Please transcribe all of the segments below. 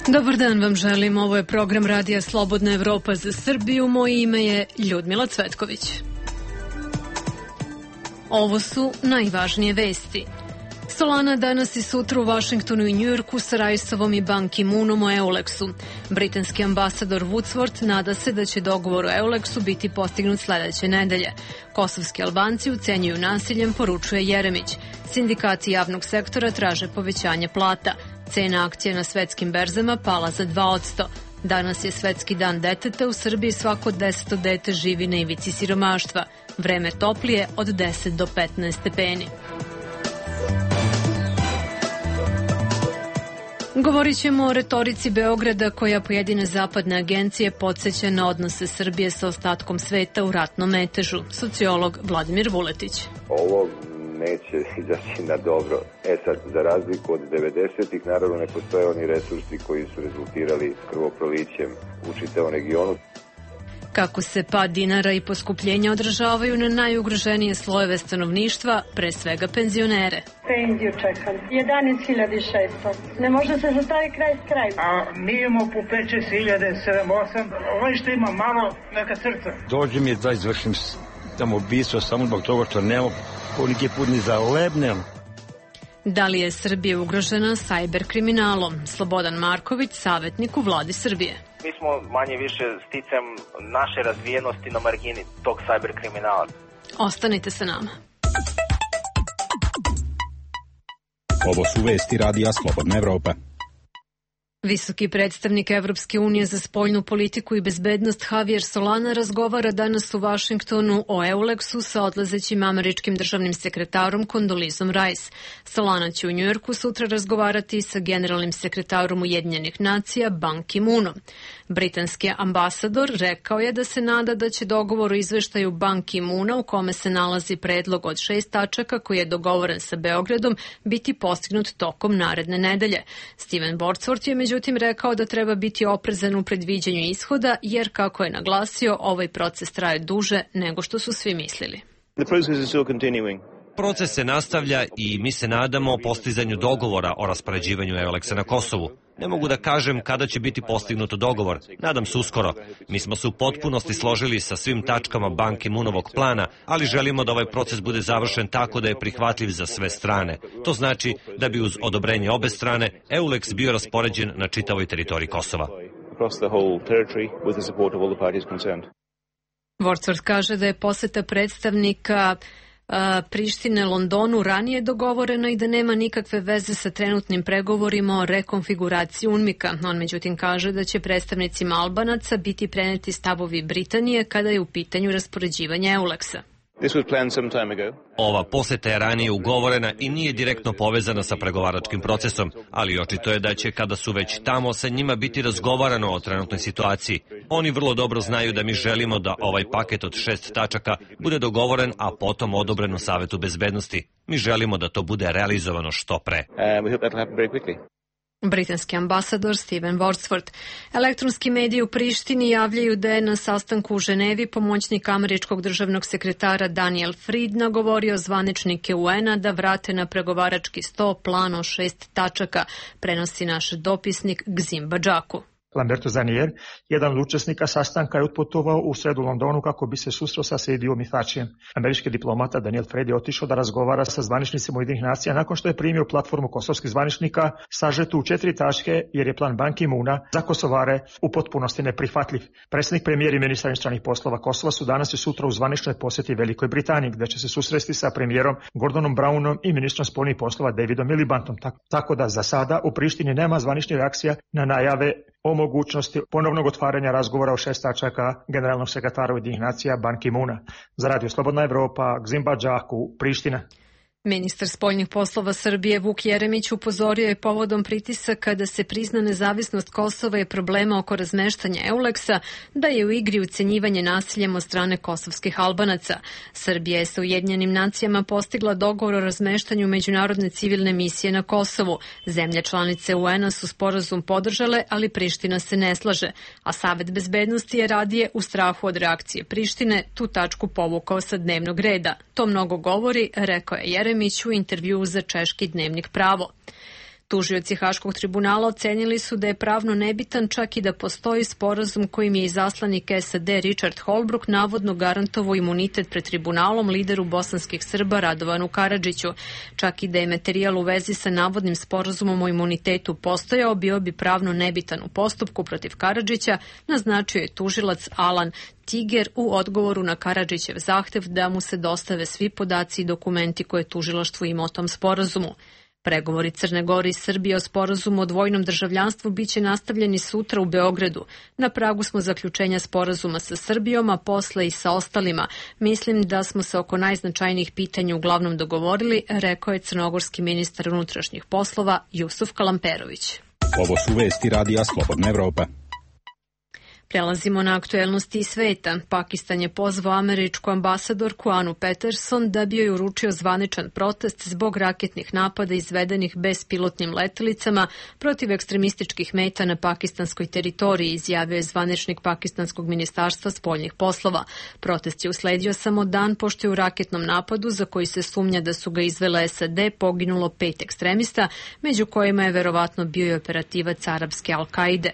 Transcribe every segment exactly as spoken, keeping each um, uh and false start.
Dobar dan vam želim, ovo je program Radija Slobodna Evropa za Srbiju, moje ime je Ljudmila Cvetković. Ovo su najvažnije vesti. Solana danas i sutra u Vašingtonu i Njujorku sa Raisovom i Ban Ki-moonom o Euleksu. Britanski ambasador Woodsworth nada se da će dogovor o Euleksu biti postignut sledeće nedelje. Kosovski Albanci ucenjuju nasiljem, poručuje Jeremić. Sindikati javnog sektora traže povećanje plata. Cena akcije na svetskim berzama pala za dva posto. Danas je Svetski dan deteta, u Srbiji svako deseto dete živi na ivici siromaštva. Vreme toplije od deset do petnaest stepeni. Govorit ćemo o retorici Beograda koja pojedine zapadne agencije podsjeća na odnose Srbije sa ostatkom sveta u ratnom metežu. Sociolog Vladimir Vuletić. Ovo neće izaći na dobro. E sad, za razliku od devedesetih, naravno ne postoje oni resursi koji su rezultirali krvoprolićem u čitavom regionu. Kako se pad dinara i poskupljenja odražavaju na najugroženije slojeve stanovništva, pre svega penzionere. Penziju čekam. jedanaest hiljada šesto. Ne može se zastavi kraj s kraj. A mi imamo po pet šest hiljada, sedam osam. Ovaj što ima malo, neka srca. Dođe mi da izvršim tamo ubistvo samo zbog toga što nema koliki put ni za lebnem. Da li je Srbija ugrožena sajber kriminalom? Slobodan Marković, savjetnik u vladi Srbije. Mi smo manje više sticam naše razvijenosti na margini tog sajber kriminala. Ostanite sa nama. Ovo su vesti Radija Slobodna Evropa. Visoki predstavnik Evropske unije za spoljnu politiku i bezbednost Javier Solana razgovara danas u Vašingtonu o Euleksu sa odlazećim američkim državnim sekretarom Kondolizom Rice. Solana će u Njujorku sutra razgovarati sa generalnim sekretarom Ujedinjenih nacija Ban Ki-moonom. Britanski ambasador rekao je da se nada da će dogovor o izveštaju Ban Ki-moona, u kome se nalazi predlog od šest tačaka koji je dogovoren sa Beogradom, biti postignut tokom naredne nedelje. Steven Woodsworth je međutim rekao da treba biti oprezan u predviđanju ishoda, jer, kako je naglasio, ovaj proces traje duže nego što su svi mislili. Proces se nastavlja i mi se nadamo postizanju dogovora o raspoređivanju Euleksa na Kosovu. Ne mogu da kažem kada će biti postignut dogovor. Nadam se uskoro. Mi smo se u potpunosti složili sa svim tačkama Ban Ki-moonovog plana, ali želimo da ovaj proces bude završen tako da je prihvatljiv za sve strane. To znači da bi uz odobrenje obe strane Euleks bio raspoređen na čitavoj teritoriji Kosova. Woodsworth kaže da je poseta predstavnika Prištine Londonu ranije dogovoreno i da nema nikakve veze sa trenutnim pregovorima o rekonfiguraciji UNMIK-a. On međutim kaže da će predstavnicima Albanaca biti preneti stavovi Britanije kada je u pitanju raspoređivanje Euleksa. Ova poseta je ranije ugovorena i nije direktno povezana sa pregovaračkim procesom, ali očito je da će, kada su već tamo, sa njima biti razgovarano o trenutnoj situaciji. Oni vrlo dobro znaju da mi želimo da ovaj paket od šest tačaka bude dogovoren, a potom odobren u Savetu bezbednosti. Mi želimo da to bude realizovano što pre. Britanski ambasador Steven Woodsworth. Elektronski mediji u Prištini javljaju da je na sastanku u Ženevi pomoćnik američkog državnog sekretara Daniel Fried nagovorio zvaničnike U N-a da vrate na pregovarački sto plan o šest tačaka, prenosi naš dopisnik Gzim Badžaku. Lamberto Zanier, jedan od učesnika sastanka, je otputovao u sredu Londonu kako bi se susreo sa Sejdiom i Thačijem. Američki diplomata Daniel Fried je otišao da razgovara sa zvaničnicima Ujedinjenih nacija nakon što je primio platformu kosovskih zvaničnika sažetu u četiri tačke, jer je plan Ban Ki-moona za Kosovare u potpunosti neprihvatljiv. Predsjednik, premijer i ministar inostranih poslova Kosova su danas i sutra u zvaničnoj posjeti Velikoj Britaniji, gde će se susresti sa premijerom Gordonom Brownom i ministrom spoljnih poslova Davidom Milibantom. Tako da za sada u Prištini nema zvaničnih reakcija na najave o mogućnosti ponovnog otvaranja razgovora o šest tačaka generalnog sekretara Ujedinjenih nacija Ban Ki-moona. Za Radio Slobodna Evropa, Gzim Badžaku, Priština. Ministar spoljnih poslova Srbije Vuk Jeremić upozorio je povodom pritisaka da se prizna nezavisnost Kosova i problema oko razmeštanja Euleksa, da je u igri ucenjivanje nasiljem od strane kosovskih Albanaca. Srbija je sa Ujedinjenim nacijama postigla dogovor o razmeštanju međunarodne civilne misije na Kosovu. Zemlje članice U N-a su sporazum podržale, ali Priština se ne slaže, a Savet bezbednosti je radije u strahu od reakcije Prištine tu tačku povukao sa dnevnog reda. To mnogo govori, rekao je Jeremić u intervjuu za češki dnevnik Pravo. Tužioci Haškog tribunala ocenili su da je pravno nebitan čak i da postoji sporazum kojim je izaslanik S A D Richard Holbrooke navodno garantovao imunitet pred tribunalom lideru bosanskih Srba Radovanu Karadžiću. Čak i da je materijal u vezi sa navodnim sporazumom o imunitetu postojao, bio bi pravno nebitan u postupku protiv Karadžića, naznačio je tužilac Alan Tiger u odgovoru na Karadžićev zahtev da mu se dostave svi podaci i dokumenti koje tužilaštvo ima o tom sporazumu. Pregovori Crne Gore i Srbije o sporazumu o dvojnom državljanstvu biće nastavljeni sutra u Beogradu. Na pragu smo zaključenja sporazuma sa Srbijom, a posle i sa ostalima. Mislim da smo se oko najznačajnijih pitanja uglavnom dogovorili, rekao je crnogorski ministar unutrašnjih poslova Jusuf Kalamperović. Ovo su vesti Radija Slobodne Evrope. Prelazimo na aktuelnosti iz sveta. Pakistan je pozvao američku ambasadorku Anu Peterson da bi joj uručio zvaničan protest zbog raketnih napada izvedenih bespilotnim letelicama protiv ekstremističkih meta na pakistanskoj teritoriji, izjavio je zvaničnik pakistanskog ministarstva spoljnih poslova. Protest je usledio samo dan pošto je u raketnom napadu, za koji se sumnja da su ga izvele S A D, poginulo pet ekstremista, među kojima je verovatno bio i operativac arapske Al-Kaide.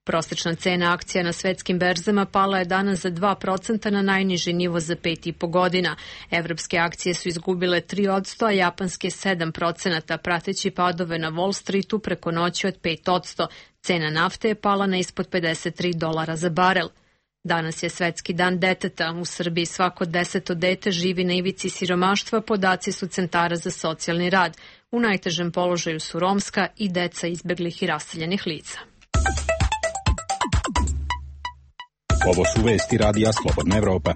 Prosečna cena akcija na svetskim berzama pala je danas za dva procenta na najniži nivo za pet i po godina. Evropske akcije su izgubile tri posto, a japanske sedam procenata, prateći padove na Wall Streetu preko noći od pet posto. Cena nafte je pala na ispod pedeset tri dolara za barel. Danas je svetski dan deteta. U Srbiji svako deseto dete živi na ivici siromaštva, podaci su centara za socijalni rad. U najtežem položaju su romska i deca izbeglih i raseljenih lica. Ovo su vesti Radija Slobodne Evrope.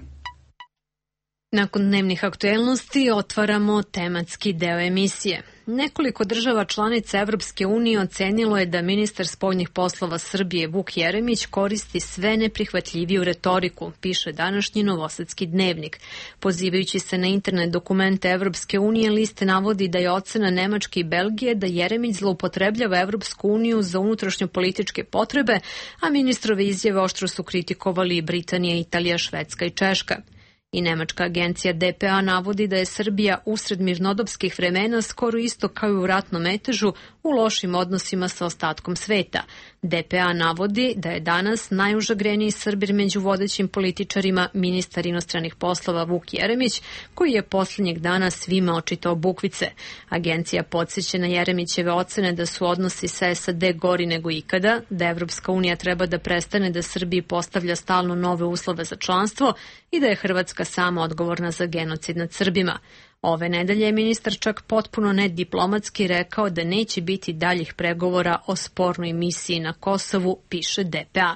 Nakon dnevnih aktuelnosti otvaramo tematski deo emisije. Nekoliko država članica Evropske unije ocenilo je da ministar spoljnih poslova Srbije Vuk Jeremić koristi sve neprihvatljiviju retoriku, piše današnji Novosadski dnevnik. Pozivajući se na internet dokumente Evropske unije, list navodi da je ocena Nemačke i Belgije da Jeremić zloupotrebljava Evropsku uniju za unutrašnjo političke potrebe, a ministrove izjave oštro su kritikovali i Britanija, Italija, Švedska i Češka. I nemačka agencija D P A navodi da je Srbija usred mirnodopskih vremena skoro isto kao i u ratnom metežu u lošim odnosima sa ostatkom sveta. D P A navodi da je danas najužagreniji Srbir među vodećim političarima ministar inostranih poslova Vuk Jeremić, koji je posljednjeg dana svima očitao bukvice. Agencija podsjeća na Jeremićeve ocene da su odnosi sa S A D gori nego ikada, da Evropska unija treba da prestane da Srbiji postavlja stalno nove uslove za članstvo i da je Hrvatska sama odgovorna za genocid nad Srbima. Ove nedelje je ministar čak potpuno nediplomatski rekao da neće biti daljih pregovora o spornoj misiji na Kosovu, piše D P A.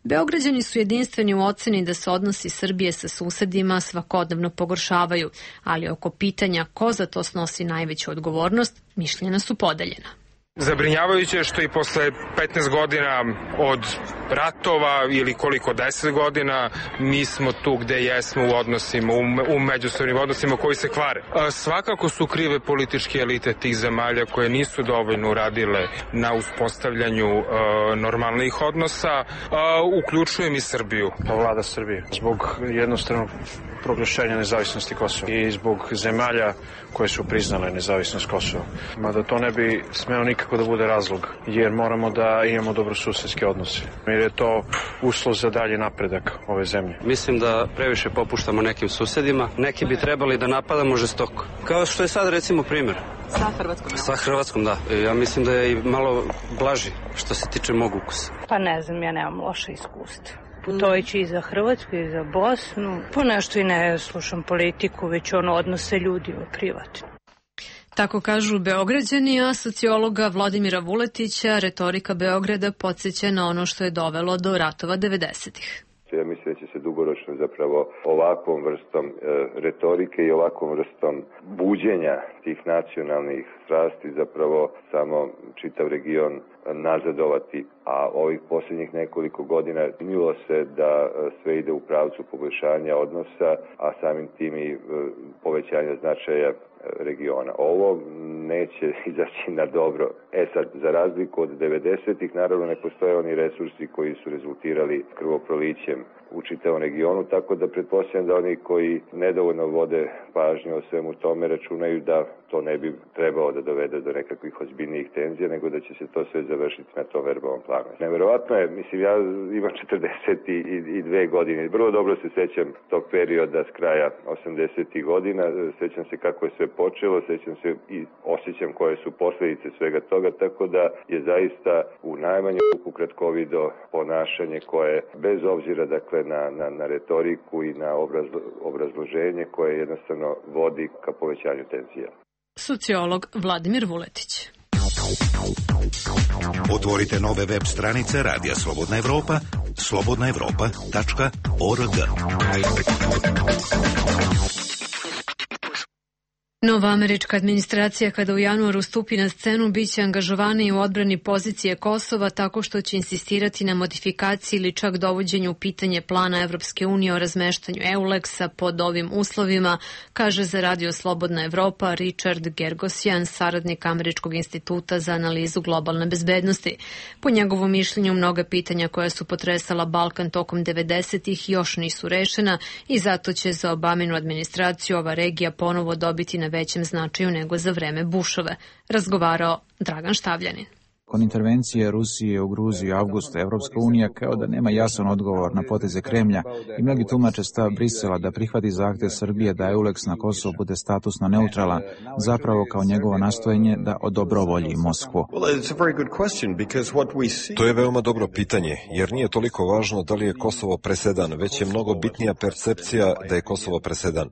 Beograđani su jedinstveni u oceni da se odnosi Srbije sa susedima svakodnevno pogoršavaju, ali oko pitanja ko za to snosi najveću odgovornost, mišljenja su podeljena. Zabrinjavajuće je što i posle petnaest godina od ratova ili koliko deset godina mi smo tu gde jesmo u odnosima, u, u međusobnim odnosima koji se kvare. Svakako su krive političke elite tih zemalja koje nisu dovoljno uradile na uspostavljanju uh, normalnih odnosa, uh, uključujem i Srbiju. Pa vlada Srbije. Zbog jednostavnog proglašenja nezavisnosti Kosova i zbog zemalja koje su priznale nezavisnost Kosova. Mada to ne bi smeo nikako da bude razlog, jer moramo da imamo dobrosusedske odnose. Jer je to uslov za dalji napredak ove zemlje. Mislim da previše popuštamo nekim susedima. Neki bi trebali da napadamo žestoko. Kao što je sad recimo primjer. Sa Hrvatskom? Sa Hrvatskom, da. Ja mislim da je i malo blaži što se tiče mog ukusa. Pa ne znam, ja nemam loše iskustva. Putovići i za Hrvatsku i za Bosnu. Po nešto i ne slušam politiku, već ono odnose ljudi u privatno. Tako kažu Beograđani, a sociologa Vladimira Vuletića retorika Beograda podsjeća na ono što je dovelo do ratova devedesetih. Ja mislim da će se dugoročno zapravo ovakvom vrstom e, retorike i ovakvom vrstom buđenja tih nacionalnih strasti zapravo samo čitav region nazadovati, a ovih posljednjih nekoliko godina činilo se da sve ide u pravcu poboljšanja odnosa, a samim tim i povećanja značaja regiona. Ovo neće izaći na dobro. E sad, za razliku od devedesetih, naravno ne postoje oni resursi koji su rezultirali krvoprolićem u čitavom regionu, tako da pretpostavljam da oni koji nedovoljno vode pažnju o svemu tome računaju da to ne bi trebalo da dovede do nekakvih ozbiljnijih tenzija, nego da će se to sve završiti na tom verbalnom planu. Neverovatno je, mislim, ja imam četrdeset dve godine, vrlo dobro se sećam tog perioda s kraja osamdesetih godina, sećam se kako je sve počelo, sećam se i osjećam koje su posledice svega toga, tako da je zaista u najmanju ruku kratkovido ponašanje koje, bez obzira dakle na, na, na retoriku i na obrazlo, obrazloženje koje jednostavno vodi ka povećanju tenzija. Sociolog Vladimir Vuletić. Otvorite nove web stranice Radija Slobodna Evropa, slobodna evropa tačka org. Nova američka administracija kada u januaru stupi na scenu biće angažovana u odbrani pozicije Kosova tako što će insistirati na modifikaciji ili čak dovođenju u pitanje plana Evropske unije o razmeštanju EULEX-a pod ovim uslovima, kaže za Radio Slobodna Evropa Richard Gergosjan, saradnik Američkog instituta za analizu globalne bezbednosti. Po njegovom mišljenju, mnoga pitanja koja su potresala Balkan tokom devedesetih još nisu rešena i zato će za Obaminu administraciju ova regija ponovo dobiti na većem značaju nego za vreme Bushove, razgovarao Dragan Štavljanin. Nakon intervencije Rusije u Gruziji u avgustu, Evropska unija kao da nema jasan odgovor na poteze Kremlja i mnogi tumače stav Brisela da prihvati zahtev Srbije da EULEX na Kosovu bude statusno neutralan, zapravo kao njegovo nastojanje da odobrovolji Moskvu. To je veoma dobro pitanje, jer nije toliko važno da li je Kosovo presedan, već je mnogo bitnija percepcija da je Kosovo presedan.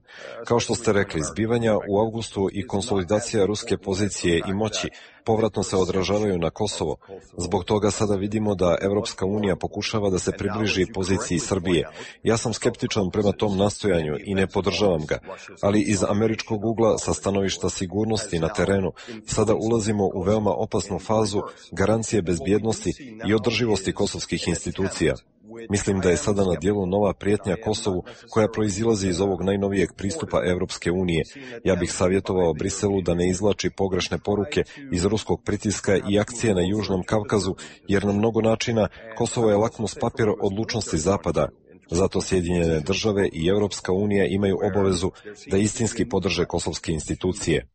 Kao što ste rekli, zbivanja u avgustu i konsolidacija ruske pozicije i moći povratno se odražavaju na Kosovo. Zbog toga sada vidimo da Evropska unija pokušava da se približi poziciji Srbije. Ja sam skeptičan prema tom nastojanju i ne podržavam ga, ali iz američkog ugla sa stanovišta sigurnosti na terenu sada ulazimo u veoma opasnu fazu garancije bezbjednosti i održivosti kosovskih institucija. Mislim da je sada na dijelu nova prijetnja Kosovu koja proizilazi iz ovog najnovijeg pristupa Evropske unije. Ja bih savjetovao Briselu da ne izvlači pogrešne poruke iz ruskog pritiska i akcije na Južnom Kavkazu, jer na mnogo načina Kosovo je lakmus papir odlučnosti Zapada. Zato Sjedinjene države i Evropska unija imaju obavezu da istinski podrže kosovske institucije.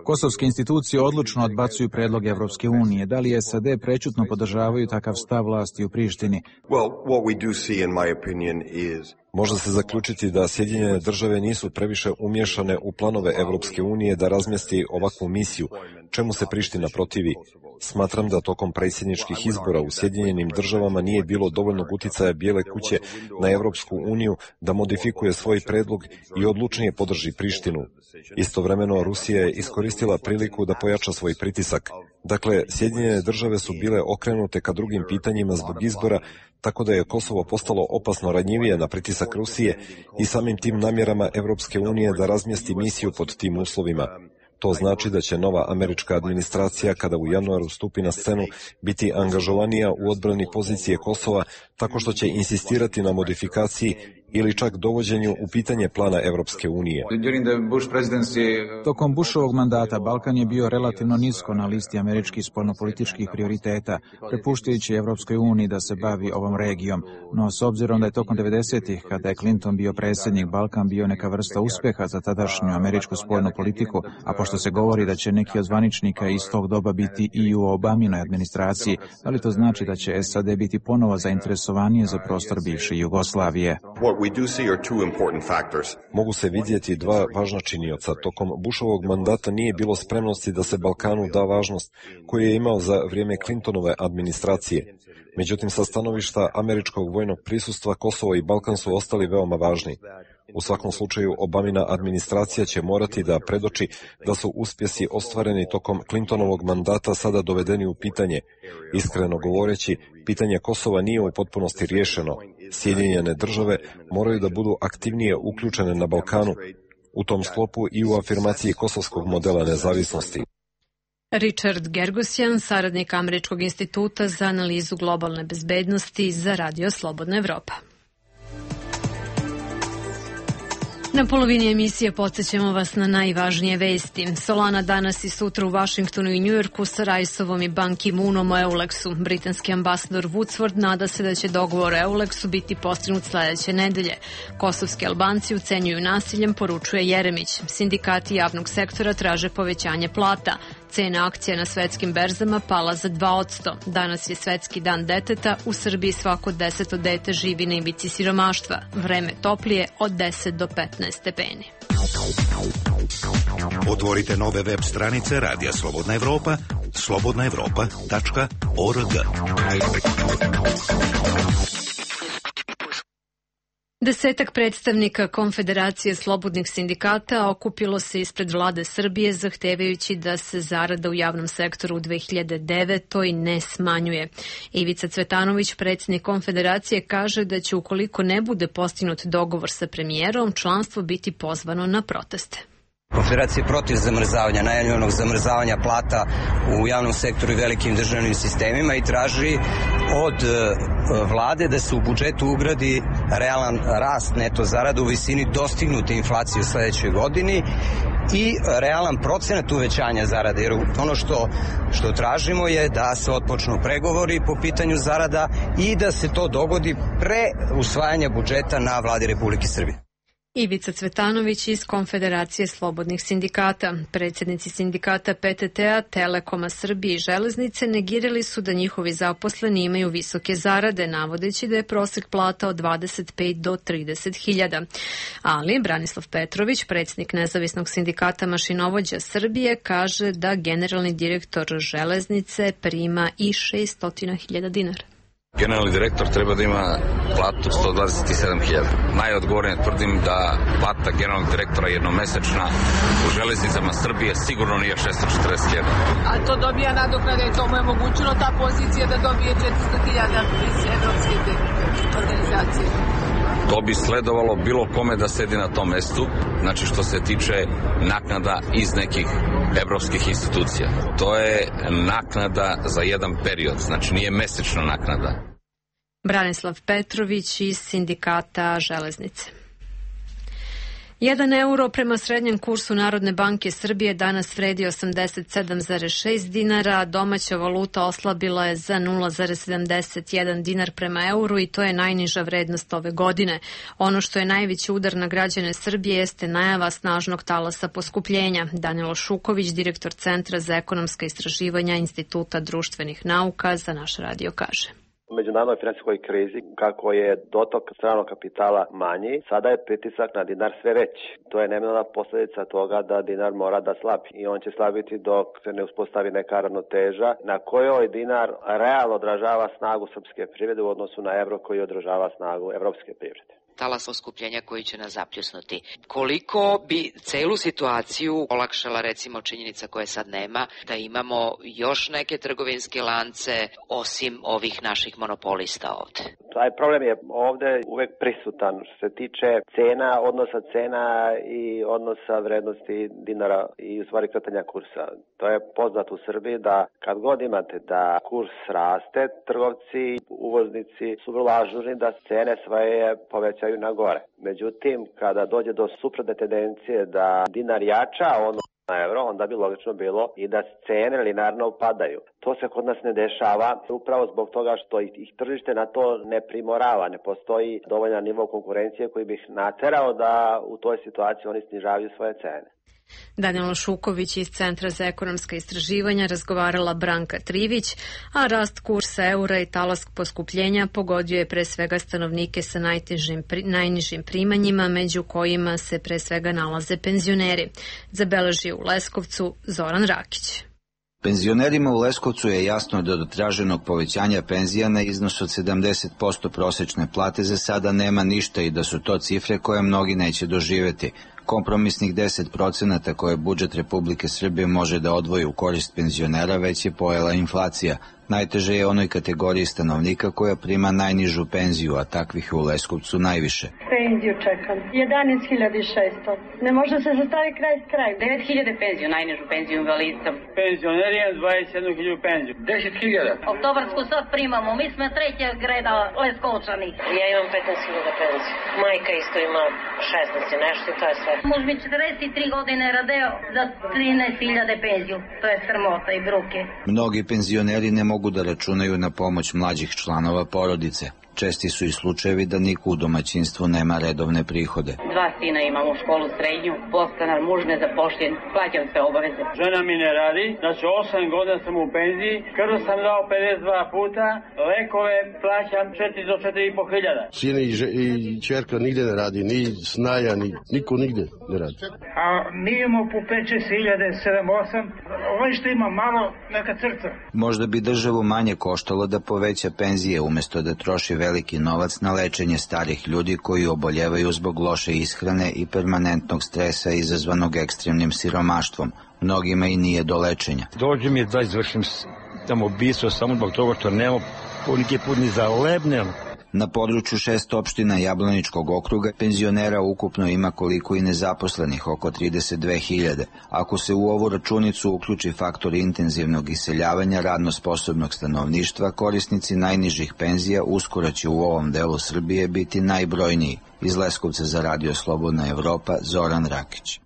Kosovske institucije odlučno odbacuju predlog Evropske unije. Da li S A D prećutno podržavaju takav stav vlasti u Prištini? Može se zaključiti da Sjedinjene države nisu previše umješane u planove Evropske unije da razmjesti ovakvu misiju, čemu se Priština protivi. Smatram da tokom predsjedničkih izbora u Sjedinjenim državama nije bilo dovoljnog uticaja Bijele kuće na Evropsku uniju da modifikuje svoj predlog i odlučnije podrži Prištinu. Istovremeno, Rusija je iskoristila priliku da pojača svoj pritisak. Dakle, Sjedinjene države su bile okrenute ka drugim pitanjima zbog izbora, tako da je Kosovo postalo opasno ranjivije na pritisak Rusije i samim tim namjerama Evropske unije da razmjesti misiju pod tim uslovima. To znači da će nova američka administracija, kada u januaru stupi na scenu, biti angažovanija u odbrani pozicije Kosova tako što će insistirati na modifikaciji ili čak dovođenju u pitanje plana Evropske unije. Tokom Bushovog mandata Balkan je bio relativno nisko na listi američkih spoljnopolitičkih prioriteta, prepuštajući Evropskoj uniji da se bavi ovom regijom. No, s obzirom da je tokom devedesetih, kada je Clinton bio predsjednik, Balkan bio neka vrsta uspjeha za tadašnju američku spoljnu politiku, a pošto se govori da će neki od zvaničnika iz tog doba biti i u Obaminoj administraciji, da li to znači da će S A D biti ponovo zainteresovanije za prostor bivše Jugoslavije? Mogu se vidjeti dva važna činioca. Tokom Bushovog mandata nije bilo spremnosti da se Balkanu da važnost koju je imao za vrijeme Clintonove administracije. Međutim, sa stanovišta američkog vojnog prisustva, Kosovo i Balkan su ostali veoma važni. U svakom slučaju, Obamina administracija će morati da predoči da su uspjesi ostvareni tokom Clintonovog mandata sada dovedeni u pitanje. Iskreno govoreći, pitanje Kosova nije u potpunosti riješeno. Sjedinjene države moraju da budu aktivnije uključene na Balkanu, u tom sklopu i u afirmaciji kosovskog modela nezavisnosti. Richard Gergosjan, saradnik Američkog instituta za analizu globalne bezbednosti za Radio Slobodna Evropa. Na polovini emisije podsjećamo vas na najvažnije vesti. Solana danas i sutra u Vašingtonu i Njujorku sa Rajsovom i Ban Ki-moonom o Euleksu. Britanski ambasador Woodsworth nada se da će dogovor o Euleksu biti postignut sledeće nedelje. Kosovski Albanci ucenjuju nasiljem, poručuje Jeremić. Sindikati javnog sektora traže povećanje plata. Cena akcija na svetskim berzama pala za dva posto. Danas je Svetski dan deteta. U Srbiji svako deseto dete živi na ivici siromaštva. Vreme toplije od deset do petnaest stepeni. Otvorite nove web stranice Radija Slobodna Evropa, slobodna evropa tačka org. Desetak predstavnika Konfederacije slobodnih sindikata okupilo se ispred vlade Srbije zahtevajući da se zarada u javnom sektoru u dve hiljade devetoj ne smanjuje. Ivica Cvetanović, predsjednik Konfederacije, kaže da će ukoliko ne bude postignut dogovor sa premijerom, članstvo biti pozvano na proteste. Konfederacija je protiv zamrzavanja, najavljenog zamrzavanja plata u javnom sektoru i velikim državnim sistemima i traži od vlade da se u budžetu ugradi realan rast neto zarada u visini dostignute inflacije u sledećoj godini i realan procenat uvećanja zarade, jer ono što, što tražimo je da se otpočnu pregovori po pitanju zarada i da se to dogodi pre usvajanja budžeta na vladi Republike Srbije. Ivica Cvetanović iz Konfederacije slobodnih sindikata. Predsjednici sindikata P T T-a, Telekoma Srbije i Železnice negirali su da njihovi zaposleni imaju visoke zarade, navodeći da je prosek plata od dvadeset pet do trideset hiljada. Ali Branislav Petrović, predsjednik nezavisnog sindikata mašinovođa Srbije, kaže da generalni direktor Železnice prima i šesto hiljada dinara. Generalni direktor treba da ima platu sto dvadeset sedam hiljada. Najodgovornije tvrdim da plata generalnog direktora jednomesečna u Železnicama Srbije sigurno nije šesto četrdeset hiljada. A to dobija nadoknade, to mu je omogućilo ta pozicija da dobije četiristo hiljada iz evropske organizacije. To bi sledovalo bilo kome da sedi na tom mestu, znači što se tiče naknada iz nekih evropskih institucija. To je naknada za jedan period, znači nije mesečna naknada. Branislav Petrović iz sindikata Železnice. Jedan euro prema srednjem kursu Narodne banke Srbije danas vredi osamdeset sedam zarez šest dinara, a domaća valuta oslabila je za nula zarez sedamdeset jedan dinar prema euru i to je najniža vrednost ove godine. Ono što je najveći udar na građane Srbije jeste najava snažnog talasa poskupljenja. Danilo Šuković, direktor Centra za ekonomska istraživanja Instituta društvenih nauka, za naš radio kaže. U međunarodnoj finansijskoj krizi, kako je dotok stranog kapitala manji, sada je pritisak na dinar sve veći. To je neminovna posljedica toga da dinar mora da slabi i on će slabiti dok se ne uspostavi neka ravnoteža na kojoj dinar realno odražava snagu srpske privrede u odnosu na evro koji odražava snagu evropske privrede. Talas poskupljenja koji će nas zapljusnuti. Koliko bi celu situaciju olakšala recimo činjenica koje sad nema, da imamo još neke trgovinske lance osim ovih naših monopolista ovde? Taj problem je ovde uvek prisutan što se tiče cena, odnosa cena i odnosa vrednosti dinara i u stvari kretanja kursa. To je poznato u Srbiji da kad god imate da kurs raste, trgovci, uvoznici su vrlo ažurni da cene svoje povećaju na gore. Međutim, kada dođe do suprotne tendencije da dinar jača ono na evro, onda bi logično bilo i da cene linarno upadaju. To se kod nas ne dešava upravo zbog toga što ih tržište na to ne primorava, ne postoji dovoljan nivo konkurencije koji bi ih naterao da u toj situaciji oni snižavaju svoje cene. Danilo Šuković iz Centra za ekonomska istraživanja razgovarala Branka Trivić, a rast kursa eura i talas poskupljenja pogodio je pre svega stanovnike sa najnižim, najnižim primanjima, među kojima se pre svega nalaze penzioneri. Zabeležio u Leskovcu Zoran Rakić. Penzionerima u Leskovcu je jasno da do traženog povećanja penzija na iznos od sedamdeset posto prosečne plate za sada nema ništa i da su to cifre koje mnogi neće doživeti. Kompromisnih deset procenata koje budžet Republike Srbije može da odvoji u korist penzionera već je pojela inflacija. Najteže je onoj kategoriji stanovnika koja prima najnižu penziju, a takvih je u Leskovcu najviše. Penziju čekam. jedanaest hiljada šesto. Ne može se sastavi kraj s krajem. devet hiljada penziju, najnižu penziju invalidcom. Penzioner je dvadeset jednu hiljadu penziju. deset hiljada. Oktobarsku sad primamo, mi smo treća greda Leskovčani. Ja imam petnaest hiljada penziju. Majka isto ima šesnaest i nešto i to je sve. Muž mi četrdeset tri godine radeo za trinaest hiljada penziju. To je sramota i bruke. Mnogi penzioneri ne mogu da računaju na pomoć mlađih članova porodice. Česti su i slučajevi da niko u domaćinstvu nema redovne prihode. Dva sina imam u školu srednju, postanar, muž nezapošljen, plaćam sve obaveze. Žena mi ne radi, znači osam godina sam u penziji, krv sam dao pedeset dva puta, lekove plaćam četiri do četiri i po hiljada. Sin i, i čerka nigde ne radi, ni snaja, ni niko nigde ne radi. A mi imamo po pet šest hiljade, sedam osam, ovaj što ima malo, neka crta. Možda bi državu manje koštalo da poveća penzije umesto da troši veliki novac na lečenje starih ljudi koji oboljevaju zbog loše ishrane i permanentnog stresa izazvanog ekstremnim siromaštvom. Mnogima i nije do lečenja. Dođe mi da izvršim tamo ubistvo samo zbog toga što nema poneki put ni za lebnem. Na području šest opština Jablaničkog okruga penzionera ukupno ima koliko i nezaposlenih, oko trideset dve hiljade. Ako se u ovu računicu uključi faktor intenzivnog iseljavanja radno sposobnog stanovništva, korisnici najnižih penzija uskoro će u ovom delu Srbije biti najbrojniji. Iz Leskovca za Radio Slobodna Evropa, Zoran Rakić.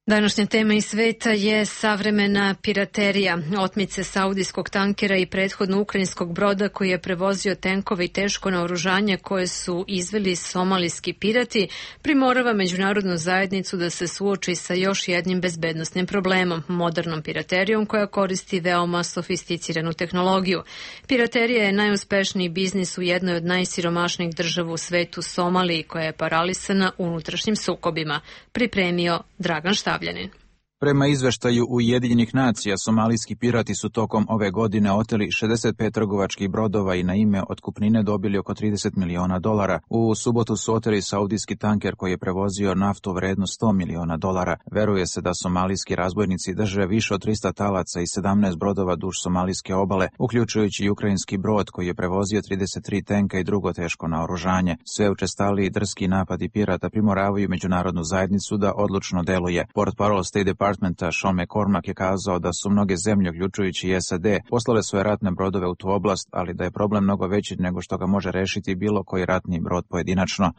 Današnja tema iz sveta je savremena piraterija. Otmice saudijskog tankera i prethodno ukrajinskog broda koji je prevozio tenkove i teško naoružanje koje su izveli somalijski pirati primorava međunarodnu zajednicu da se suoči sa još jednim bezbednosnim problemom, modernom piraterijom koja koristi veoma sofisticiranu tehnologiju. Piraterija je najuspešniji biznis u jednoj od najsiromašnijih država u svetu, Somaliji, koja je paralisana unutrašnjim sukobima. Pripremio Dragan Štav. Prema izveštaju Ujedinjenih nacija, somalijski pirati su tokom ove godine oteli šezdeset pet trgovačkih brodova i na ime otkupnine dobili oko trideset miliona dolara. U subotu su oteli saudijski tanker koji je prevozio naftu vrednu sto miliona dolara. Veruje se da somalijski razbojnici drže više od trista talaca i sedamnaest brodova duž somalijske obale, uključujući i ukrajinski brod koji je prevozio trideset tri tenka i drugo teško naoružanje. Sve učestaliji i drski napadi pirata primoravaju međunarodnu zajednicu da odlučno deluje. Portparol State Departmenta Sean McCormack je kazao da su mnoge zemlje, uključujući i S A D, poslale svoje ratne brodove u tu oblast, ali da je problem mnogo veći nego što ga može rešiti bilo koji ratni brod pojedinačno.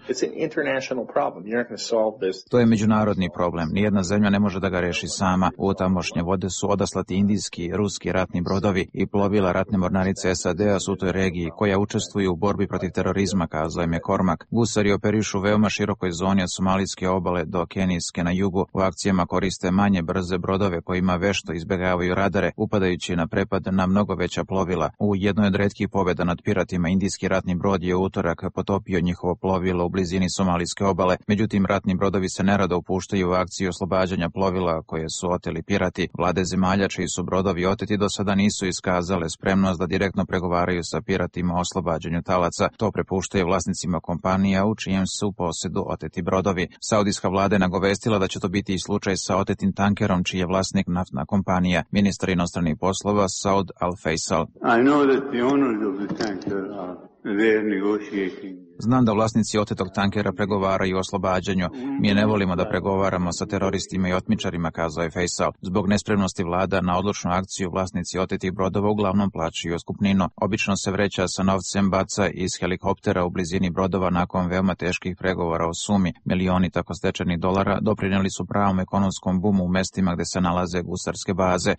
To je međunarodni problem. Nijedna zemlja ne može da ga reši sama. U tamošnje vode su odaslati indijski i ruski ratni brodovi i plovila ratne mornarice S A D-a su u toj regiji koja učestvuju u borbi protiv terorizma, kazao je McCormack. Gusari operišu u veoma širokoj zoni od somalijske obale do Kenijske na jugu. U akcijama koriste manje brze brodove kojima vešto izbegavaju radare, upadajući na prepad na mnogo veća plovila. U jednoj od retkih pobjeda nad piratima indijski ratni brod je u utorak potopio njihovo plovilo u blizini somalijske obale. Međutim, ratni brodovi se nerado upuštaju u akciju oslobađanja plovila koje su oteli pirati. Vlade zemalja čiji su brodovi oteti do sada nisu iskazale spremnost da direktno pregovaraju sa piratima o oslobađanju talaca. To prepuštaju vlasnicima kompanija u čijem su posedu oteti brodovi. Saudijska vlada je nagovestila da će to biti i slučaj sa otetim tankerom čiji je vlasnik naftna kompanija. Ministar inostranih poslova Saud Al-Faisal. Znam da vlasnici otetog tankera pregovaraju o oslobađanju. Mi ne volimo da pregovaramo sa teroristima i otmičarima, kazao je Faisal. Zbog nespremnosti vlada na odlučnu akciju vlasnici otetih brodova uglavnom plaćaju otkupninu. Obično se vreća sa novcem baca iz helikoptera u blizini brodova nakon veoma teških pregovora o sumi. Milioni tako stečenih dolara doprinijeli su pravom ekonomskom bumu u mestima gde se nalaze gusarske baze.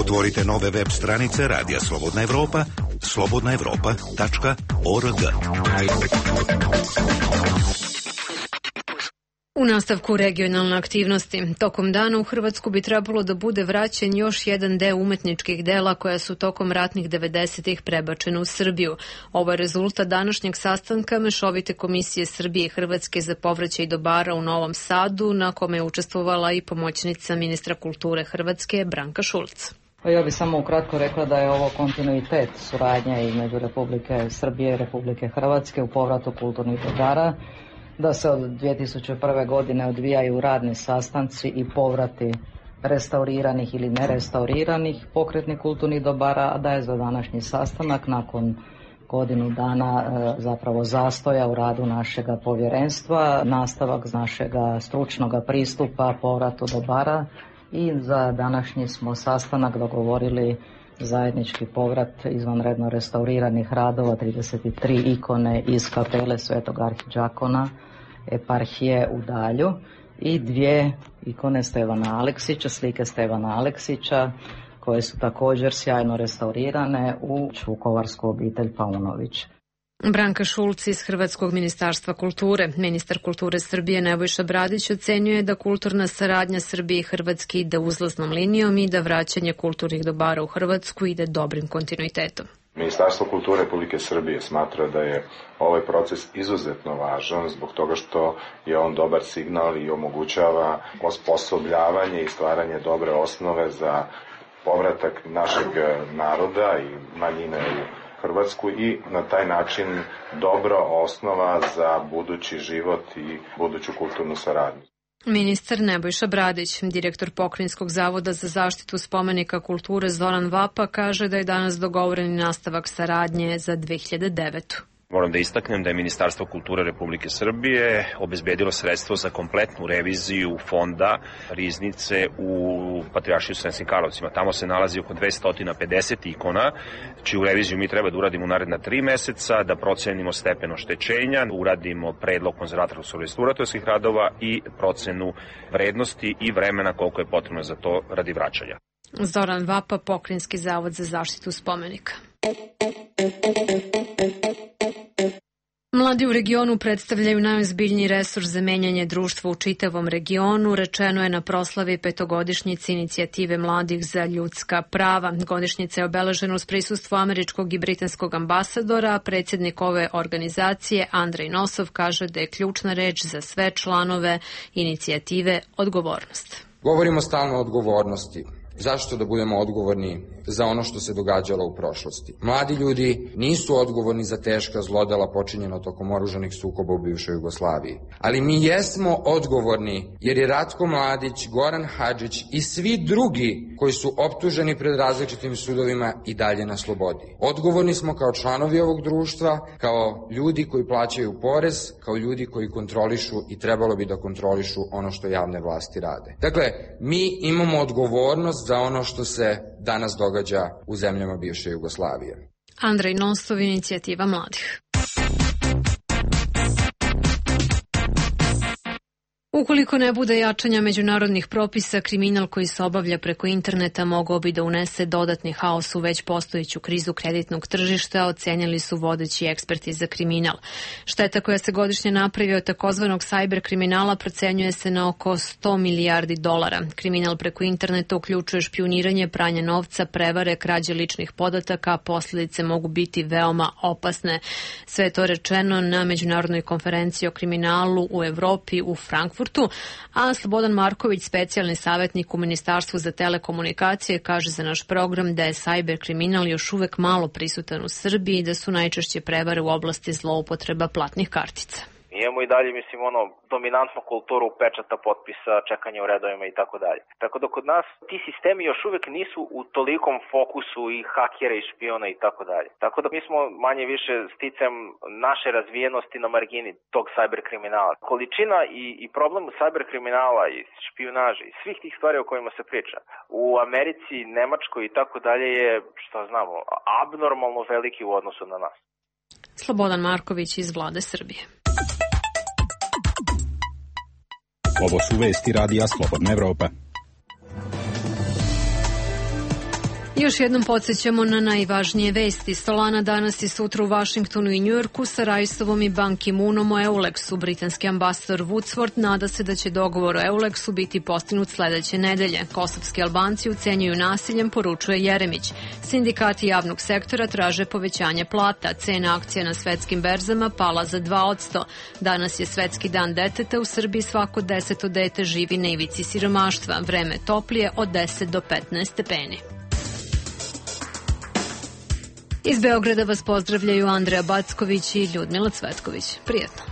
Otvorite nove web stranice Radija Slobodna Evropa, slobodna evropa tačka org. U nastavku regionalne aktivnosti, tokom dana u Hrvatsku bi trebalo da bude vraćen još jedan deo umetničkih dela koja su tokom ratnih devedesetih prebačena u Srbiju. Ovo je rezultat današnjeg sastanka Mešovite komisije Srbije i Hrvatske za povraćaj dobara u Novom Sadu, na kome je učestvovala i pomoćnica ministra kulture Hrvatske Branka Šulc. Ja bih samo ukratko rekla da je ovo kontinuitet suradnje između Republike Srbije i Republike Hrvatske u povratu kulturnih dobara. da se od dvije tisuće prve. godine odvijaju radni sastanci i povrati restauriranih ili nerestauriranih pokretnih kulturnih dobara, a da je za današnji sastanak nakon godinu dana zapravo zastoja u radu našega povjerenstva, nastavak našega stručnog pristupa povratu dobara i za današnji smo sastanak dogovorili zajednički povrat izvanredno restauriranih radova trideset tri ikone iz kapele Svetog Arhidžakona eparhije u Dalju i dvije ikone Stevana Aleksića, slike Stevana Aleksića, koje su također sjajno restaurirane u Vukovarsku obitelj Paunović. Branka Šulc iz Hrvatskog ministarstva kulture. Ministar kulture Srbije Nebojša Bradić ocenjuje da kulturna saradnja Srbije i Hrvatske ide uzlaznom linijom i da vraćanje kulturnih dobara u Hrvatsku ide dobrim kontinuitetom. Ministarstvo kulture Republike Srbije smatra da je ovaj proces izuzetno važan zbog toga što je on dobar signal i omogućava osposobljavanje i stvaranje dobre osnove za povratak našeg naroda i manjine u Hrvatsku i na taj način dobra osnova za budući život i buduću kulturnu saradnju. Ministar Nebojša Bradić, direktor Pokrajinskog zavoda za zaštitu spomenika kulture Zoran Vapa, kaže da je danas dogovoren nastavak saradnje za dve hiljade devetu. Moram da istaknem da je Ministarstvo kulture Republike Srbije obezbedilo sredstvo za kompletnu reviziju fonda riznice u Patrijaršiji u Sremskim Karlovcima. Tamo se nalazi oko dvesta pedeset ikona, čiju reviziju mi treba da uradimo u naredna tri meseca, da procenimo stepen oštećenja, uradimo predlog konzervatorsko-restauratorskih radova i procenu vrednosti i vremena koliko je potrebno za to radi vraćanja. Zoran Vapa, Pokrajinski zavod za zaštitu spomenika. Mladi u regionu predstavljaju najozbiljniji resurs za menjanje društva u čitavom regionu, rečeno je na proslavi petogodišnjice inicijative mladih za ljudska prava. Godišnjica je obeležena uz prisustvo američkog i britanskog ambasadora, a predsjednik ove organizacije Andrej Nosov kaže da je ključna reč za sve članove inicijative odgovornost. Govorimo stalno o odgovornosti. Zašto da budemo odgovorni za ono što se događalo u prošlosti? Mladi ljudi nisu odgovorni za teška zlodela počinjena tokom oružanih sukoba u bivšoj Jugoslaviji. Ali mi jesmo odgovorni jer je Ratko Mladić, Goran Hadžić i svi drugi koji su optuženi pred različitim sudovima i dalje na slobodi. Odgovorni smo kao članovi ovog društva, kao ljudi koji plaćaju porez, kao ljudi koji kontrolišu i trebalo bi da kontrolišu ono što javne vlasti rade. Dakle, mi imamo odgovornost za ono što se danas događa u zemljama bivše Jugoslavije. Andrej Nosov, inicijativa mladih. Ukoliko ne bude jačanja međunarodnih propisa, kriminal koji se obavlja preko interneta mogao bi da unese dodatni haos u već postojeću krizu kreditnog tržišta, ocenjali su vodeći eksperti za kriminal. Šteta koja se godišnje napravi od takozvanog cyber kriminala procenjuje se na oko sto milijardi dolara. Kriminal preko interneta uključuje špijuniranje, pranje novca, prevare, krađe ličnih podataka, a posljedice mogu biti veoma opasne. Sve je to rečeno na međunarodnoj konferenciji o kriminalu u Evropi u Frankfurtu. A Slobodan Marković, specijalni savjetnik u Ministarstvu za telekomunikacije, kaže za naš program da je cyber kriminal još uvek malo prisutan u Srbiji i da su najčešće prevare u oblasti zloupotreba platnih kartica. Imamo i dalje, mislim, ono, dominantnu kulturu pečata, potpisa, čekanja u redovima i tako dalje. Tako da kod nas ti sistemi još uvek nisu u tolikom fokusu i hakera i špiona i tako dalje. Tako da mi smo manje više sticajem naše razvijenosti na margini tog cyber kriminala. Količina i, i problem cyber kriminala i špionaže i svih tih stvari o kojima se priča u Americi, Nemačkoj i tako dalje je, što znamo, abnormalno veliki u odnosu na nas. Slobodan Marković iz Vlade Srbije. Ovo su vesti radija Slobodna Evropa. Još jednom podsjećamo na najvažnije vesti. Solana danas i sutra u Vašingtonu i Njujorku sa Raisovom i Ban Ki-moonom o Euleksu. Britanski ambasador Woodsworth nada se da će dogovor o Euleksu biti postignut sledeće nedelje. Kosovski Albanci ucenjuju nasiljem, poručuje Jeremić. Sindikati javnog sektora traže povećanje plata. Cena akcija na svetskim berzama pala za dva posto. Danas je Svetski dan deteta. U Srbiji svako deseto dete živi na ivici siromaštva. Vreme toplije od deset do petnaest stepeni. Iz Beograda vas pozdravljaju Andreja Backović i Ljudmila Cvetković. Prijetno.